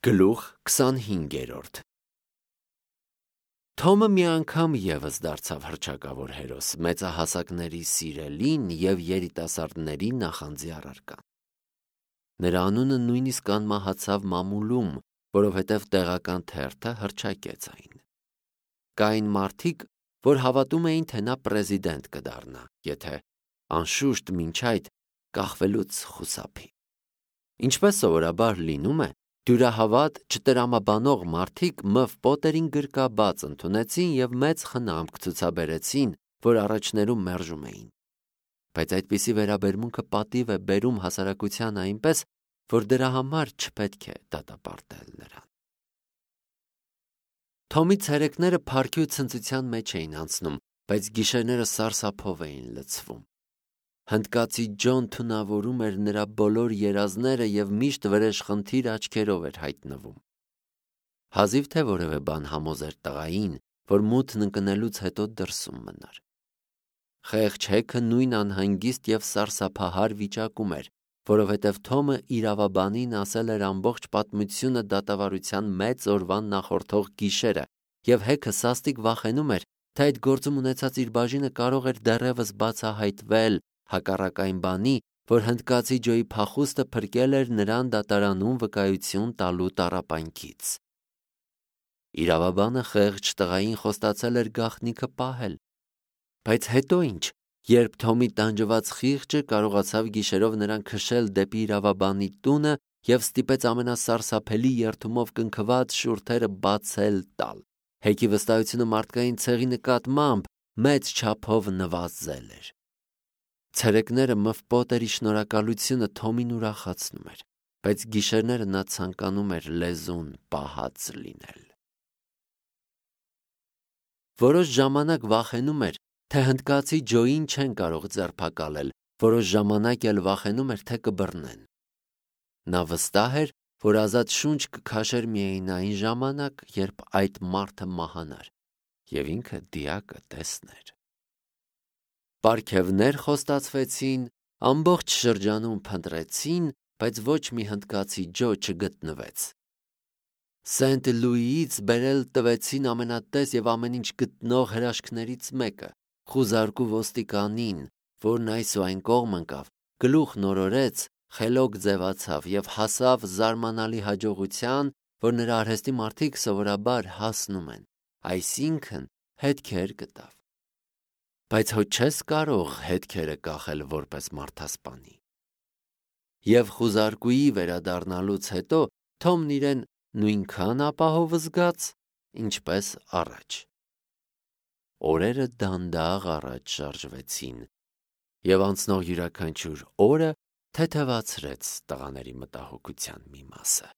Գլուխ 25 Թոմը մի անգամ ևս դարձավ հռչակավոր հերոս, մեծահասակների սիրելին և երիտասարդների նախանձի առարկան։ Նրա անունը նույնիսկ անմահացավ մամուլում, որովհետև տեղական թերթը հռչակեց այն։ Կային մարդիկ, որ հավատում էին, թե նա պրեզիդենտ կդառնա, եթե անշուշտ մինչ այդ կախվելուց խուսափի։ Ինչպես սովորաբար լինում է, դյուրահավատ, չտրամաբանող մարդիկ Մ. Պոտերին գրկաբաց ընդունեցին և մեծ խնամք ցուցաբերեցին, որ առաջներում մերժում էին։ Բայց այդպիսի վերաբերմունքը պատիվ է բերում հասարակությանը այնպես, որ դրա համար չպետք է դատապարտել նրան։ Թոմի ցերեկները փառքի ու ցնծության մեջ էին անցնում, բայց գիշերները սարսափով էին լցվում։ Հնդկացի Ջոն թունավորում էր նրա բոլոր երազները և միշտ վրեժխնդիր աչքերով էր հայտնվում։ Հազիվ թե որևէ բան համոզեր տղային, որ մութն ընկնելուց հետո դրսում մնար։ Խեղճ հեքը նույն անհանգիստ և սարսափահար վիճակում էր, որովհետև Թոմը իրավաբանին ասել էր ամբողջ պատմությունը դատավարության մեծ օրվան նախորդող գիշերը, և հեքը սաստիկ վախենում էր, թե այդ գործում ունեցած իր բաժինը կարող էր դեռևս բացահայտվել, հակառակ այն բանի, որ հնդկացի Ջոյի փախուստը փրկել էր նրան դատարանում վկայություն տալու տառապանքից։ Իրավաբանը խեղճ տղային խոստացել էր գաղտնիքը պահել։ Բայց հետո ինչ, երբ Թոմի տանջված խիղճը կարողացավ գիշերով նրան քշել դեպի իրավաբանի տունը և ստիպեց ամենասարսափելի երդումով կնքված շուրթերը բացել տալ, հեքի վստահությունը մարդկային ցեղի նկատմամբ մեծ չափով նվազել էր։ Ցերեկները Մ. Պոտերի շնորհակալությունը Թոմին ուրախացնում էր, բայց գիշերները նա ցանկանում էր լեզուն պահած լինել։ Որոշ ժամանակ վախենում էր, թե հնդկացի Ջոյին չեն կարող ձերբակալել, որոշ ժամանակ էլ վախենում էր, թե կբռնեն։ Նա վստահ էր, որ ազատ շունչ կքաշեր միայն այն ժամանակ, երբ այդ մարդը մահանար, և ինքը դիակը տեսներ։ Պարգևներ խոստացվեցին, ամբողջ շրջանում փնտրեցին, բայց ոչ մի հնդկացի Ջո չգտնվեց։ Սենտ Լուիից բերել տվեցին ամենատես և ամեն ինչ գտնող հրաշքներից մեկը, խուզարկու ոստիկանին, որն այս ու այն կողմ ընկավ, գլուխ նորորեց, խելոք ձևացավ և հասավ զարմանալի հաջողության, որ նրա արհեստի մարդիկ սովորաբար հասնում են, այսինքն հետքեր գտավ։ Բայց հո չես կարող հետքերը կախել որպես մարդասպանի։ Եվ խուզարկուի վերադառնալուց հետո Թոմն իրեն նույնքան ապահով զգաց, ինչպես առաջ։ Օրերը դանդաղ առաջ շարժվեցին, և անցնող յուրաքանչյուր օրը թեթևացրեց տղաների մտահոգության մի մասը։